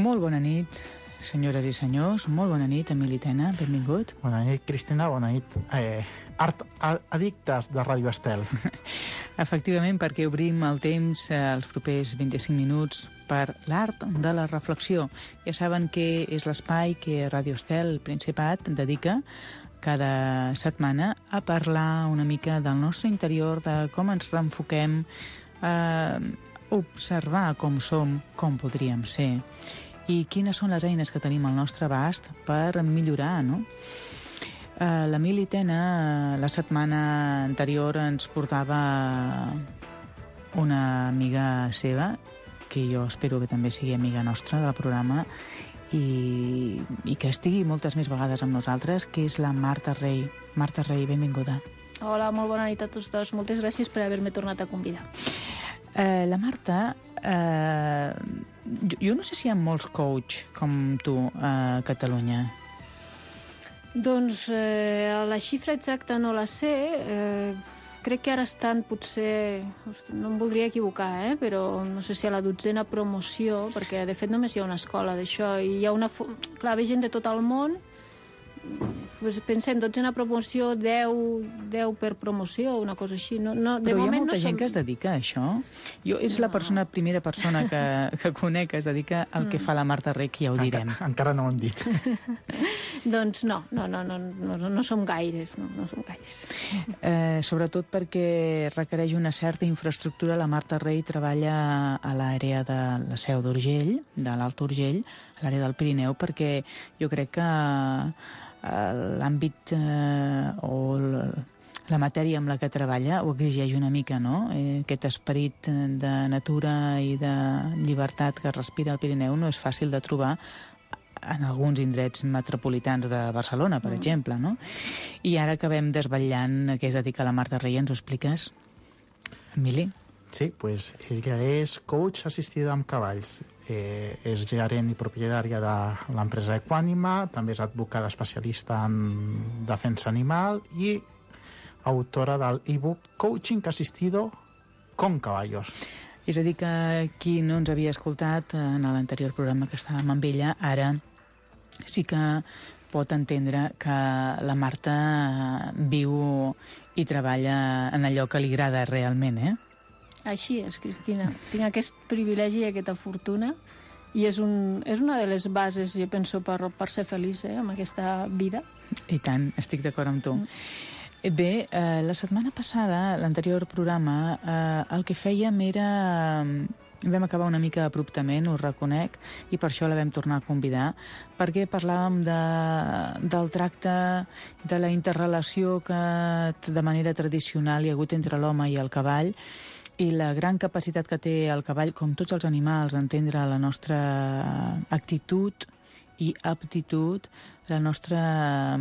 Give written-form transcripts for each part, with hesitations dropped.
Molt bona nit, senyores i senyors. Molt bona nit, Emili Tena. Benvingut. Bona nit, Cristina. Bona nit, art addictes de Ràdio Estel. Efectivament, perquè obrim el temps els propers 25 minuts per l'art de la reflexió. Ja saben que és l'espai que Ràdio Estel, Principat, dedica cada setmana a parlar una mica del nostre interior, de com ens reenfoquem, a observar com som, com podríem ser, i quines són les eines que tenim al nostre abast per millorar, no? L'Emili Tena la setmana anterior ens portava una amiga seva, que jo espero que també sigui amiga nostra del programa, i que estigui moltes més vegades amb nosaltres, que és la Marta Rey. Marta Rey, benvinguda. Hola, molt bona nit a tots dos. Moltes gràcies per haver-me tornat a convidar. La Marta, jo no sé si hi ha molts coach com tu a Catalunya. Doncs la xifra exacta no la sé. Crec que ara estan potser... No em voldria equivocar, però no sé si a la 12a promoció, perquè de fet només hi ha una escola d'això, i hi ha una... Clar, ve gent de tot el món. Pensem, 12a promoció, 10 per promoció, una cosa així. No, de però moment hi ha molta gent som... que es dedica a això? Jo és la primera persona que conec que es dedica al que fa la Marta Rey, que ja ho direm. Encara no ho hem dit. Doncs no som gaires, no som gaires. Sobretot perquè requereix una certa infraestructura. La Marta Rey treballa a l'àrea de la Seu d'Urgell, de l'Alt Urgell, a l'àrea del Pirineu, perquè jo crec que l'àmbit o la matèria amb la que treballa ho exigeix una mica, no? Aquest esperit de natura i de llibertat que respira el Pirineu no és fàcil de trobar en alguns indrets metropolitans de Barcelona, per exemple, no? I ara acabem desvetllant a què es dedica la Marta Rey. Ens ho expliques, Emili? Sí, pues ella és coach assistida amb cavalls. És gerent i propietària de l'empresa Equànima, també és advocada especialista en defensa animal i autora del e-book Coaching Asistido con Caballos. És a dir, que qui no ens havia escoltat en l'anterior programa que estàvem amb ella, ara sí que pot entendre que la Marta viu i treballa en allò que li agrada realment, Així és, Cristina. Tinc aquest privilegi i aquesta fortuna i és una de les bases, jo penso, per ser feliç amb aquesta vida. I tant, estic d'acord amb tu. Bé, la setmana passada, l'anterior programa, el que fèiem era... Vam acabar una mica abruptament, ho reconec, i per això la vam tornar a convidar, perquè parlàvem del tracte, de la interrelació que de manera tradicional hi ha hagut entre l'home i el cavall, i la gran capacitat que té el cavall, com tots els animals, d'entendre la nostra actitud i aptitud, la nostra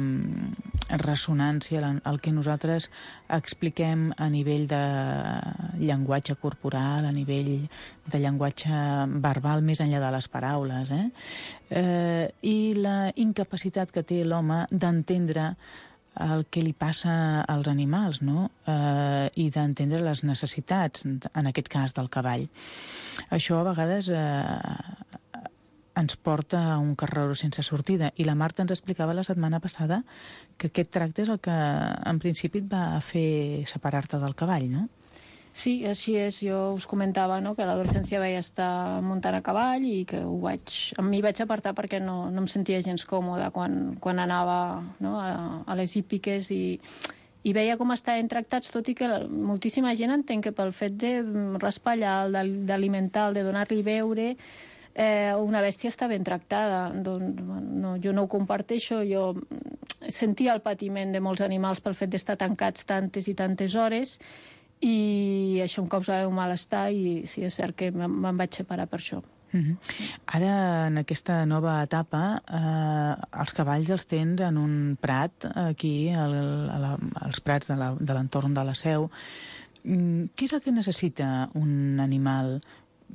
ressonància, el que nosaltres expliquem a nivell de llenguatge corporal, a nivell de llenguatge verbal, més enllà de les paraules, i la incapacitat que té l'home d'entendre el que li passa als animals, no? I d'entendre les necessitats, en aquest cas del cavall. Això a vegades ens porta a un carreró sense sortida, i la Marta ens explicava la setmana passada que aquest tracte és el que en principi et va fer separar-te del cavall, no? Sí, així és. Jo us comentava, que a l'adolescència vaig estar muntant a cavall i que m'hi vaig apartar perquè no em sentia gens còmoda quan anava a les hípiques i veia com estaven tractats, tot i que moltíssima gent entén que pel fet de raspallar, d'alimentar, de donar-li beure, una bèstia està ben tractada. Doncs, jo no ho comparteixo. Jo sentia el patiment de molts animals pel fet d'estar tancats tantes i tantes hores, i això em causava un malestar, i sí, és cert que me'n vaig separar per això. Ara, en aquesta nova etapa, els cavalls els tens en un prat, aquí, als prats de l'entorn de la Seu. Què és el que necessita un animal?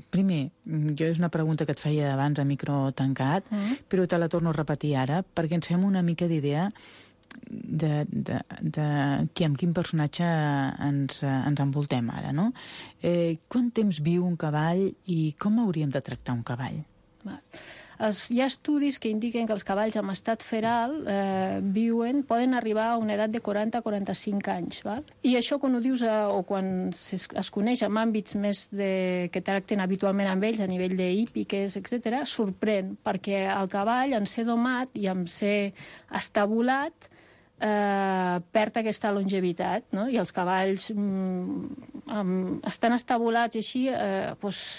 Primer, és una pregunta que et feia abans a micro tancat, però te la torno a repetir ara, perquè ens fem una mica d'idea amb quin personatge ens envoltem ara, no? Quant temps viu un cavall i com hauríem de tractar un cavall? Hi ha estudis que indiquen que els cavalls en estat feral poden arribar a una edat de 40-45 anys. Val? I això, quan ho dius, o quan es coneix en àmbits més que tracten habitualment amb ells, a nivell d'hípiques, etc., sorprèn, perquè el cavall, en ser domat i en ser estabulat, perd aquesta longevitat, no? I els cavalls estan estabulats i així,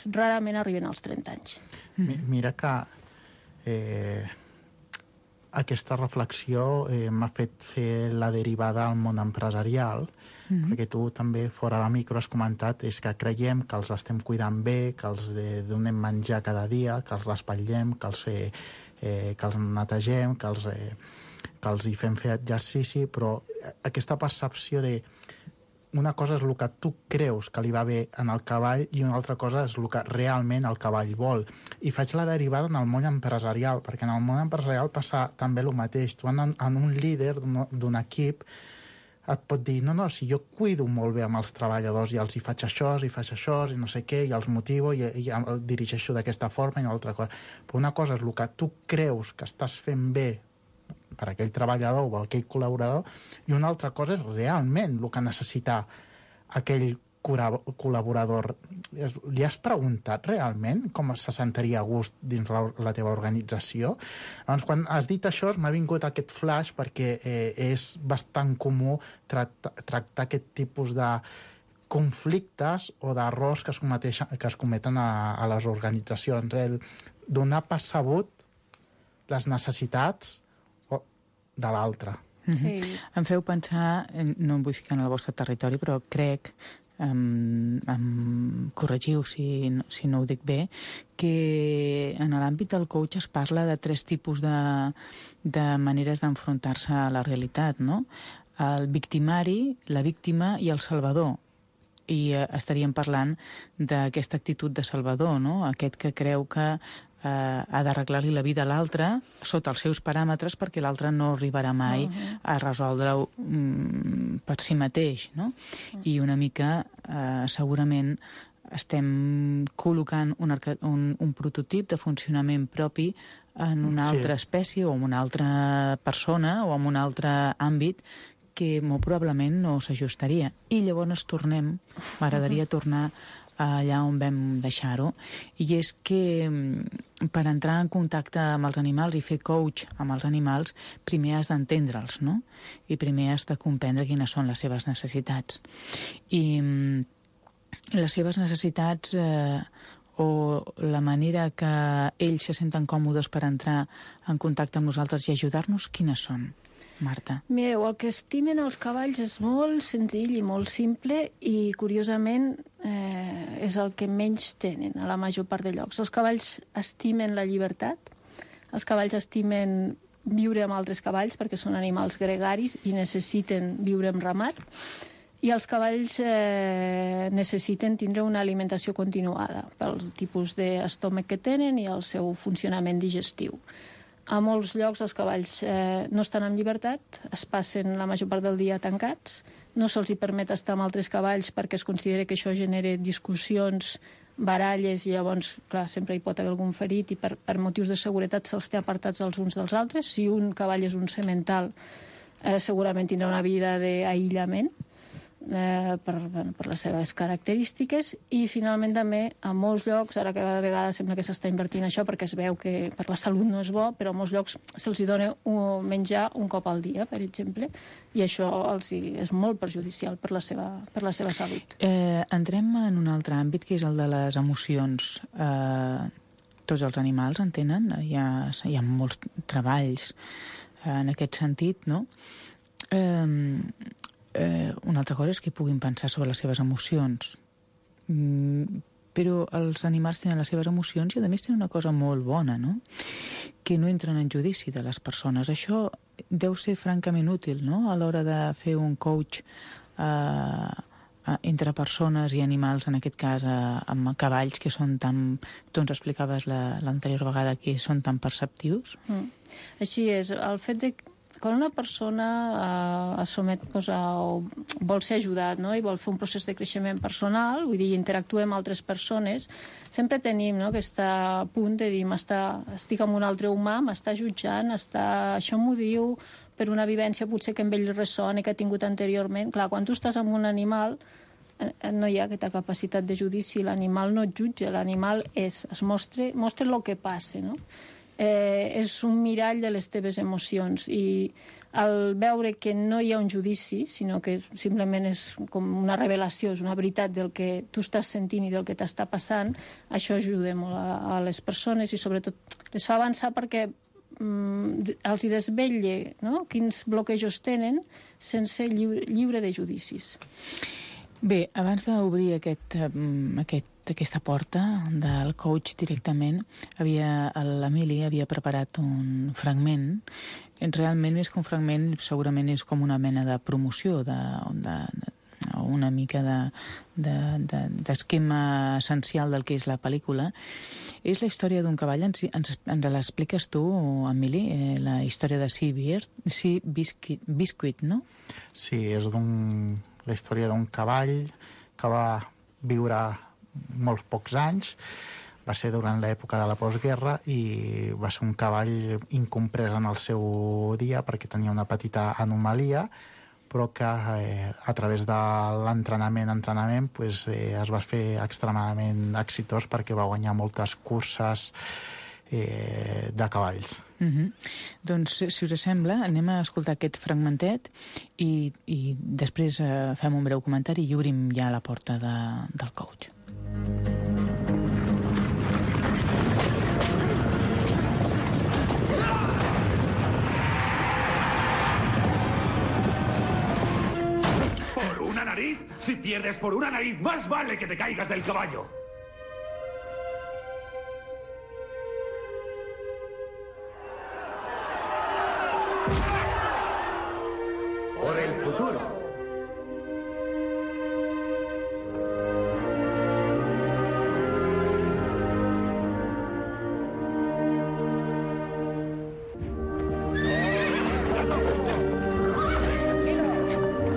rarament arriben als 30 anys. Mira que aquesta reflexió m'ha fet fer la derivada al món empresarial, perquè tu també, fora de micro, has comentat que creiem que els estem cuidant bé, que els donem menjar cada dia, que els raspallem, que els netegem, que els hi fem fer exercici, però aquesta percepció de una cosa és el que tu creus que li va bé en el cavall i una altra cosa és el que realment el cavall vol. I faig la derivada en el món empresarial, perquè en el món empresarial passa també el mateix. Tu en un líder d'un equip et pot dir, no, si jo cuido molt bé amb els treballadors i els hi faig això, i no sé què, i els motivo i el dirigeixo d'aquesta forma i una altra cosa. Però una cosa és el que tu creus que estàs fent bé per aquell treballador o aquell col·laborador, i una altra cosa és realment el que necessita aquell col·laborador. Li has preguntat realment com se sentiria a gust dins la teva organització? Llavors, quan has dit això, m'ha vingut aquest flash perquè és bastant comú tractar aquest tipus de conflictes o d'errors que es cometen a les organitzacions. Donar per sabut les necessitats de l'altre. Sí. Em feu pensar, no em vull ficar en el vostre territori, però crec, corregiu si no ho dic bé, que en l'àmbit del coach es parla de 3 tipus de maneres d'enfrontar-se a la realitat, no? El victimari, la víctima i el salvador. I estaríem parlant d'aquesta actitud de salvador, no? Aquest que creu que ha d'arreglar-li la vida a l'altre sota els seus paràmetres perquè l'altre no arribarà mai a resoldre-ho per si mateix, no? I una mica segurament estem col·locant un prototip de funcionament propi en una altra espècie o en una altra persona o en un altre àmbit que molt probablement no s'ajustaria. I llavors m'agradaria tornar allà on vam deixar-ho, i és que per entrar en contacte amb els animals i fer coach amb els animals, primer has d'entendre'ls, no? I primer has de comprendre quines són les seves necessitats. I les seves necessitats o la manera que ells se senten còmodes per entrar en contacte amb nosaltres i ajudar-nos, quines són? Marta. Mireu, el que estimen els cavalls és molt senzill i molt simple i, curiosament, és el que menys tenen a la major part de llocs. Els cavalls estimen la llibertat, els cavalls estimen viure amb altres cavalls perquè són animals gregaris i necessiten viure en ramat, i els cavalls necessiten tindre una alimentació continuada pel tipus d'estómac que tenen i el seu funcionament digestiu. A molts llocs els cavalls no estan en llibertat, es passen la major part del dia tancats, no se'ls permet estar amb altres cavalls perquè es considera que això genera discussions, baralles, i llavors, clar, sempre hi pot haver algun ferit i per motius de seguretat se'ls té apartats els uns dels altres. Si un cavall és un semental, segurament tindrà una vida d'aïllament per les seves característiques, i finalment també a molts llocs, ara cada vegada sembla que s'està invertint això perquè es veu que per la salut no és bo, però a molts llocs se'ls dona menjar un cop al dia, per exemple, i això és molt perjudicial per la seva salut. Entrem en un altre àmbit, que és el de les emocions. Tots els animals en tenen, hi ha molts treballs en aquest sentit, no? Una altra cosa és que puguin pensar sobre les seves emocions, però els animals tenen les seves emocions i a més tenen una cosa molt bona, no? Que no entren en judici de les persones. Això deu ser francament útil, no? A l'hora de fer un coach entre persones i animals, en aquest cas amb cavalls que són tan, tu ens explicaves l'anterior vegada, que són tan perceptius. Així és, el fet de quan una persona vol ser ajudat, no? I vol fer un procés de creixement personal, vull dir, interactuar amb altres persones, sempre tenim, no, aquest punt de dir, estic amb un altre humà, m'està jutjant, això m'ho diu per una vivència potser que amb ell ressona, que ha tingut anteriorment. Clar, quan tu estàs amb un animal, no hi ha aquesta capacitat de judici, l'animal no et jutja, l'animal mostra el que passa, no? És un mirall de les teves emocions, i al veure que no hi ha un judici, sinó que simplement és com una revelació, és una veritat del que tu estàs sentint i del que t'està passant, això ajuda molt a les persones i sobretot les fa avançar perquè els hi desvetlla, no?, quins bloquejos tenen sense lliure de judicis. Bé, abans d'obrir aquesta porta del coach directament, l'Emili havia preparat un fragment. Realment, més que un fragment, segurament és com una mena de promoció, una mica d'esquema essencial del que és la pel·lícula. És la història d'un cavall. Ens l'expliques tu, Emili, la història de Sea Biscuit, no? Sí, és la història d'un cavall que va viure molts pocs anys, va ser durant l'època de la postguerra i va ser un cavall incomprès en el seu dia perquè tenia una petita anomalia, però que a través de l'entrenament pues, es va fer extremadament exitós perquè va guanyar moltes curses de cavalls. Doncs, si us sembla, anem a escoltar aquest fragmentet i després fem un breu comentari i obrim ja la porta del coach. ¿Por una nariz? Si pierdes por una nariz, más vale que te caigas del caballo. Por el futuro.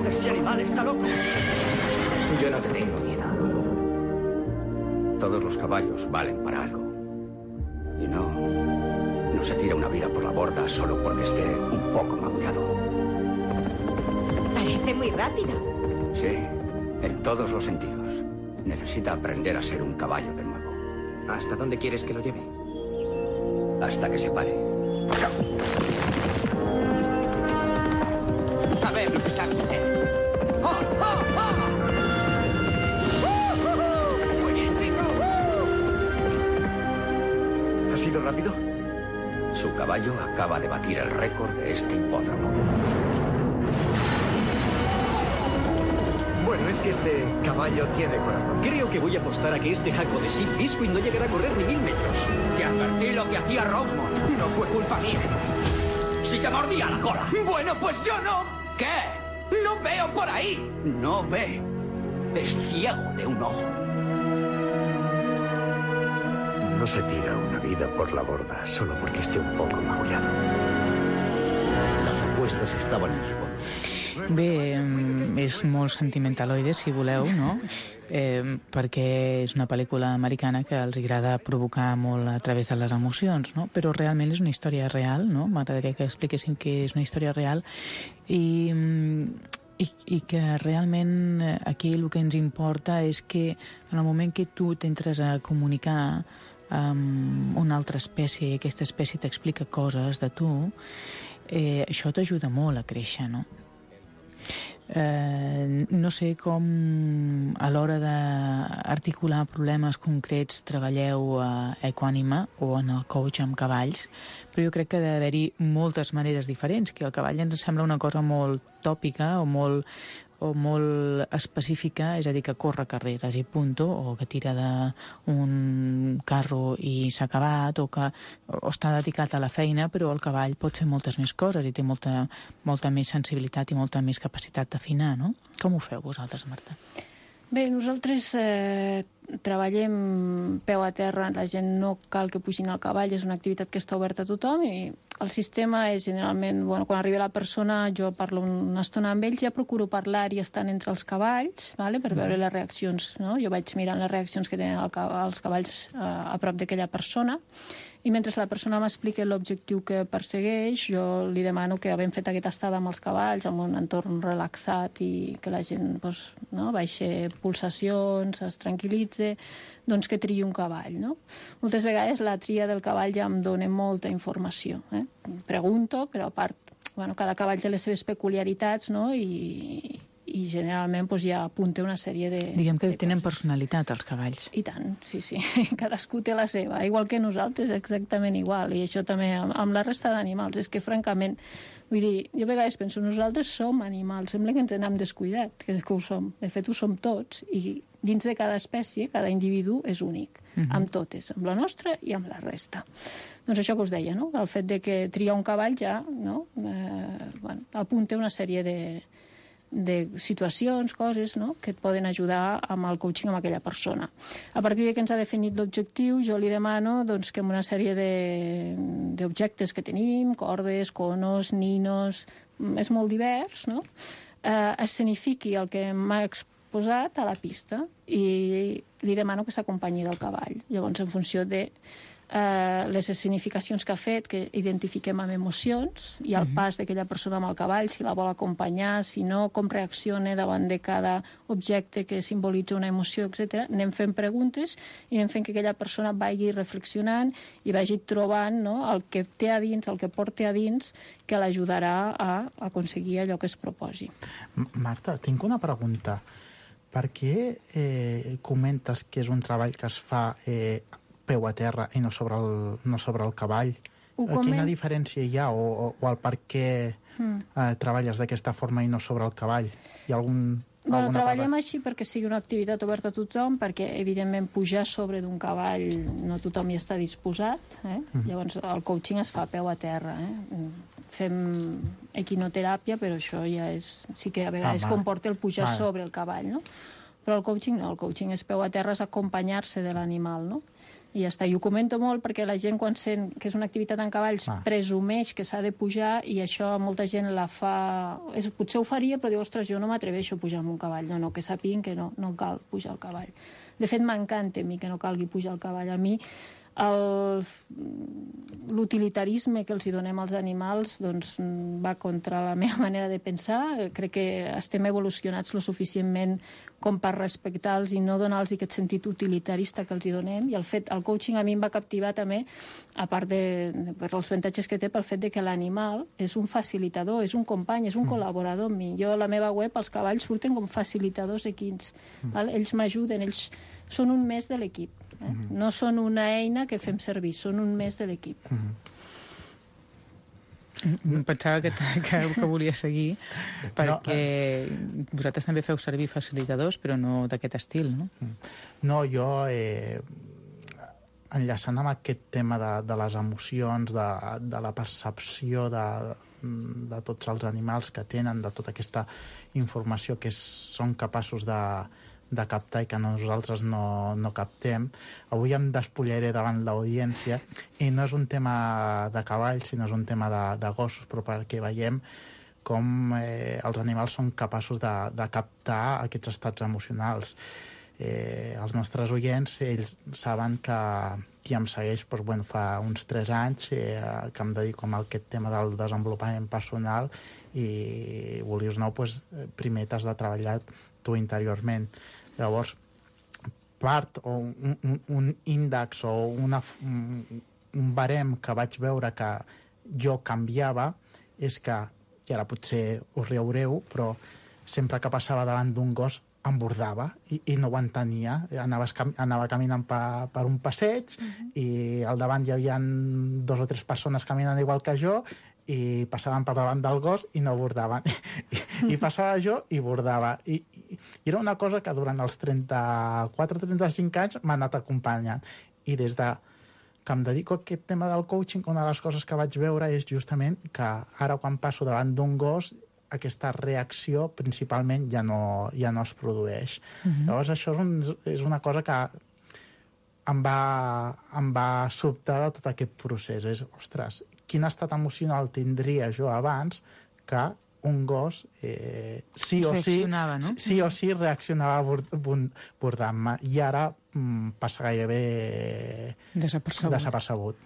Ese animal está loco. Yo no te tengo miedo. Todos los caballos valen para algo. Y no se tira una vida por la borda solo porque esté un poco magullado. Parece muy rápida. Sí, en todos los sentidos. Necesita aprender a ser un caballo de nuevo. ¿Hasta dónde quieres que lo lleve? Hasta que se pare. A ver lo que sabes hacer. ¡Oh, oh, oh! ¡Muy bien, chico! ¿Ha sido rápido? Su caballo acaba de batir el récord de este hipódromo. Bueno, es que este caballo tiene corazón. Creo que voy a apostar a que este jaco de Sea Biscuit no llegará a correr ni 1000 metros. Te advertí lo que hacía Rosemont. No fue culpa mía. ¡Si te mordía la cola! Bueno, pues yo no. ¿Qué? No veo por ahí. No ve. Es ciego de un ojo. No se tira una vida por la borda solo porque esté un poco magullado. Las apuestas estaban en su contra. Bé, és molt sentimentaloide, si voleu, no? Perquè és una pel·lícula americana que els agrada provocar molt a través de les emocions, no? Però realment és una història real, no? M'agradaria que expliquéssim que és una història real i que realment aquí el que ens importa és que en el moment que tu t'entres a comunicar amb una altra espècie i aquesta espècie t'explica coses de tu, això t'ajuda molt a créixer, no? No sé com a l'hora d'articular problemes concrets treballeu a Equànima o en el coach amb cavalls, però jo crec que ha d'haver-hi moltes maneres diferents, que el cavall ens sembla una cosa molt tòpica o molt específica, és a dir, que corre carreres i punto, o que tira d'un carro i s'ha acabat, o està dedicat a la feina, però el cavall pot fer moltes més coses i té molta més sensibilitat i molta més capacitat d'afinar, no? Com ho feu vosaltres, Marta? Bé, nosaltres treballem peu a terra, la gent no cal que pugin al cavall, és una activitat que està oberta a tothom i el sistema és generalment, quan arriba la persona, jo parlo una estona amb ells, ja procuro parlar i estar entre els cavalls, per veure les reaccions, no? Jo vaig mirant les reaccions que tenen els cavalls a prop d'aquella persona, i mentre la persona m'explica l'objectiu que persegueix, jo li demano que, havent fet aquesta estada amb els cavalls, en un entorn relaxat i que la gent baixi pulsacions, es tranquil·litzi, doncs que triï un cavall. No? Moltes vegades la tria del cavall ja em dona molta informació. Pregunto, però a part, cada cavall té les seves peculiaritats, no? I generalment ja apunta una sèrie de... Diguem que tenen personalitat, els cavalls. I tant, sí. Cadascú té la seva, igual que nosaltres, exactament igual. I això també amb la resta d'animals. És que, francament, vull dir, jo a vegades penso, nosaltres som animals, sembla que ens n'hem descuidat, que ho som. De fet, ho som tots, i dins de cada espècie, cada individu és únic, amb totes, amb la nostra i amb la resta. Doncs això que us deia, no? El fet de que triar un cavall ja apunta una sèrie de situacions, coses, no?, que et poden ajudar amb el coaching amb aquella persona. A partir de que ens ha definit l'objectiu, jo li demano que amb una sèrie d'objectes que tenim, cordes, conos, ninos, és molt divers, no?, escenifiqui el que m'ha exposat a la pista i li demano que s'acompanyi del cavall. Llavors, en funció de les escenificacions que ha fet, que identifiquem amb emocions, i el pas d'aquella persona amb el cavall, si la vol acompanyar, si no, com reacciona davant de cada objecte que simbolitza una emoció, etc. Anem fent preguntes i anem fent que aquella persona vagi reflexionant i vagi trobant el que té a dins, el que porta a dins, que l'ajudarà a aconseguir allò que es proposi. Marta, tinc una pregunta. Per què comentes que és un treball que es fa peu a terra i no sobre el cavall? Quina diferència hi ha o el per què treballes d'aquesta forma i no sobre el cavall? Hi ha treballem així perquè sigui una activitat oberta a tothom, perquè, evidentment, pujar sobre d'un cavall no tothom hi està disposat. Llavors, el coaching es fa a peu a terra. Fem equinoteràpia, però això ja sí que a vegades comporta el pujar sobre el cavall, no? Però el coaching no, el coaching és peu a terra, és acompanyar-se de l'animal, no? I ja està. I ho comento molt perquè la gent, quan sent que és una activitat en cavalls, presumeix que s'ha de pujar, i això molta gent la fa... Potser ho faria, però diu, ostres, jo no m'atreveixo a pujar amb un cavall. No, que sàpiguen que no cal pujar al cavall. De fet, m'encanta a mi que no calgui pujar al cavall. A mi l'utilitarisme que els donem als animals va contra la meva manera de pensar. Crec que estem evolucionats lo suficientment com per respectar-los i no donar-los aquest sentit utilitarista que els donem. I el coaching a mi em va captivar també, a part per els avantatges que té, pel fet de que l'animal és un facilitador, és un company, és un col·laborador amb mi. Jo a la meva web els cavalls surten com facilitadors equins. Ells m'ajuden, ells són un més de l'equip. No són una eina que fem servir, són un més de l'equip. Pensava que volia seguir, perquè vosaltres també feu servir facilitadors, però no d'aquest estil, no? No, jo, enllaçant amb aquest tema de les emocions, de la percepció de tots els animals que tenen, de tota aquesta informació que són capaços de captar i que nosaltres no captem. Avui em despullaré davant l'audiència i no és un tema de cavalls, sinó és un tema de gossos, però perquè veiem com els animals són capaços de captar aquests estats emocionals. Els nostres oients, ells saben que qui em segueix fa uns 3 anys que em dedico a aquest tema del desenvolupament personal i, volies no, primer t'has de treballar tu interiorment. Llavors, part o un índex o un barem que vaig veure que jo canviava és que, i ara potser us riureu, però sempre que passava davant d'un gos em bordava i no ho entenia. Anava caminant per un passeig i al davant hi havia 2 o 3 persones caminant igual que jo i passaven per davant del gos i no bordaven. I passava jo i bordava. I era una cosa que durant els 34-35 anys m'ha anat acompanyant. I des que em dedico a aquest tema del coaching, una de les coses que vaig veure és justament que ara quan passo davant d'un gos aquesta reacció principalment ja no es produeix. Llavors això és una cosa que em va sobtar de tot aquest procés. Ostres, quin estat emocional tindria jo abans que un gos sí o sí reaccionava abordant-me, i ara passa gairebé desapercebut.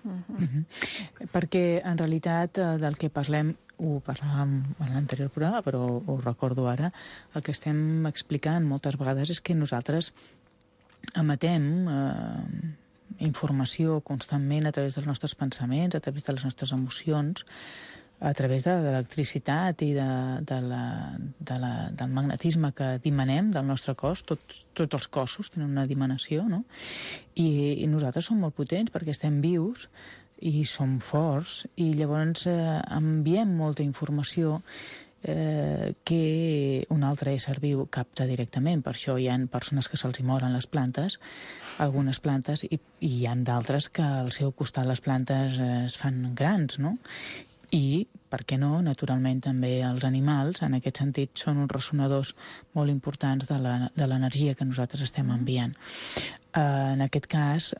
Perquè en realitat del que parlem, ho parlàvem en l'anterior programa, però ho recordo ara, el que estem explicant moltes vegades és que nosaltres emetem informació constantment a través dels nostres pensaments, a través de les nostres emocions, a través de l'electricitat i del magnetisme que dimanem del nostre cos. Tots els cossos tenen una dimanació, no? I nosaltres som molt potents perquè estem vius i som forts, i llavors enviem molta informació que un altre ésser viu capta directament. Per això hi ha persones que se'ls moren les plantes, algunes plantes, i hi ha d'altres que al seu costat les plantes es fan grans, no? I, per què no, naturalment també els animals, en aquest sentit, són uns ressonadors molt importants de l'energia que nosaltres estem enviant. En aquest cas,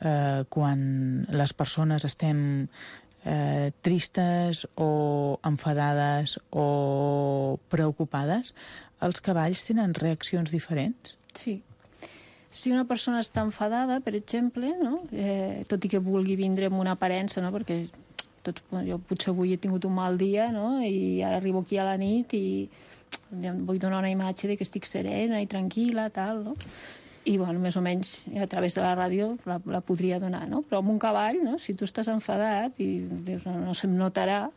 quan les persones estem tristes o enfadades o preocupades, els cavalls tenen reaccions diferents? Sí. Si una persona està enfadada, per exemple, no? Tot i que vulgui vindre amb una aparença, no? Perquè jo potser avui he tingut un mal dia, no? I ara arribo aquí a la nit i vull donar una imatge de que estic serena i tranquil·la, tal, no? I, bueno, més o menys a través de la ràdio la podria donar, no? Però amb un cavall, no? Si tu estàs enfadat i dius, no se'm notarà,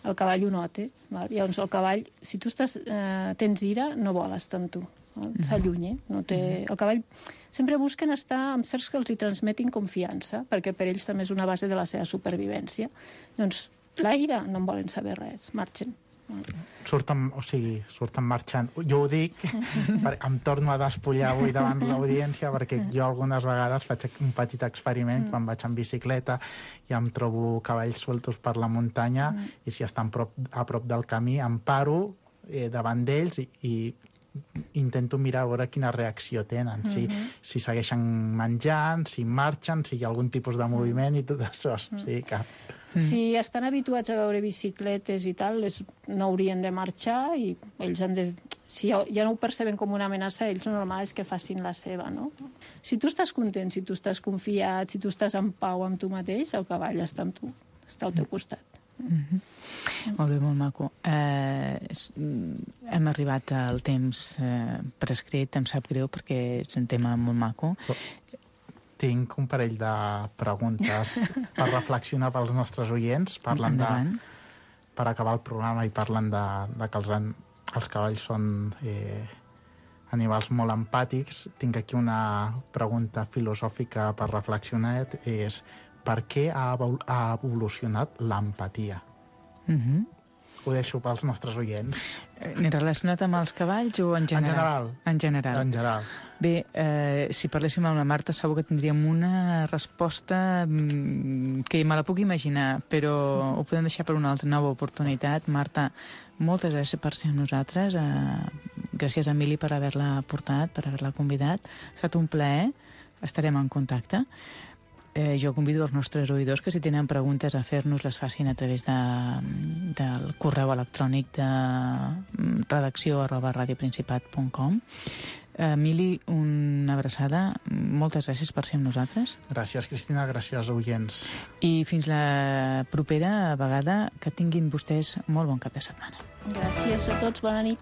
el cavall ho nota. Val? Llavors el cavall, si tu tens ira, no vol estar amb tu. S'allunya. El cavall sempre busquen estar amb certs que els hi transmetin confiança, perquè per ells també és una base de la seva supervivència. Doncs l'aire no en volen saber res, marxen. Surten marxant. Jo ho dic, em torno a despullar avui davant l'audiència, perquè jo algunes vegades faig un petit experiment quan vaig en bicicleta i em trobo cavalls sueltos per la muntanya, i si estan a prop del camí em paro davant d'ells i intento mirar a veure quina reacció tenen, si segueixen menjant, si marxen, si hi ha algun tipus de moviment i tot això. Si estan habituats a veure bicicletes i tal, no haurien de marxar, i ells han de... Si ja no ho perceben com una amenaça, ells el normal és que facin la seva, no? Si tu estàs content, si tu estàs confiat, si tu estàs en pau amb tu mateix, el cavall està amb tu, està al teu costat. Molt bé, molt maco. Hem arribat al temps prescrit, em sap greu perquè és un tema molt maco. Tinc un parell de preguntes per reflexionar pels nostres oients. Parlen per acabar el programa, i parlen de que els cavalls són animals molt empàtics. Tinc aquí una pregunta filosòfica per reflexionar, és: per què ha evolucionat l'empatia? Ho deixo pels nostres oients. Relacionat amb els cavalls o en general? En general. En general. Bé, si parléssim amb la Marta segur que tindríem una resposta que me la puc imaginar, però ho podem deixar per una altra nova oportunitat. Marta, moltes gràcies per ser amb nosaltres. Gràcies a Emili per haver-la portat, per haver-la convidat. Ha estat un plaer. Estarem en contacte. Jo convido els nostres oïdors que si tenen preguntes a fer-nos les facin a través del correu electrònic de redacció@radioprincipat.com. Emili, una abraçada. Moltes gràcies per ser amb nosaltres. Gràcies, Cristina. Gràcies, oients. I fins la propera vegada. Que tinguin vostès molt bon cap de setmana. Gràcies a tots. Bona nit.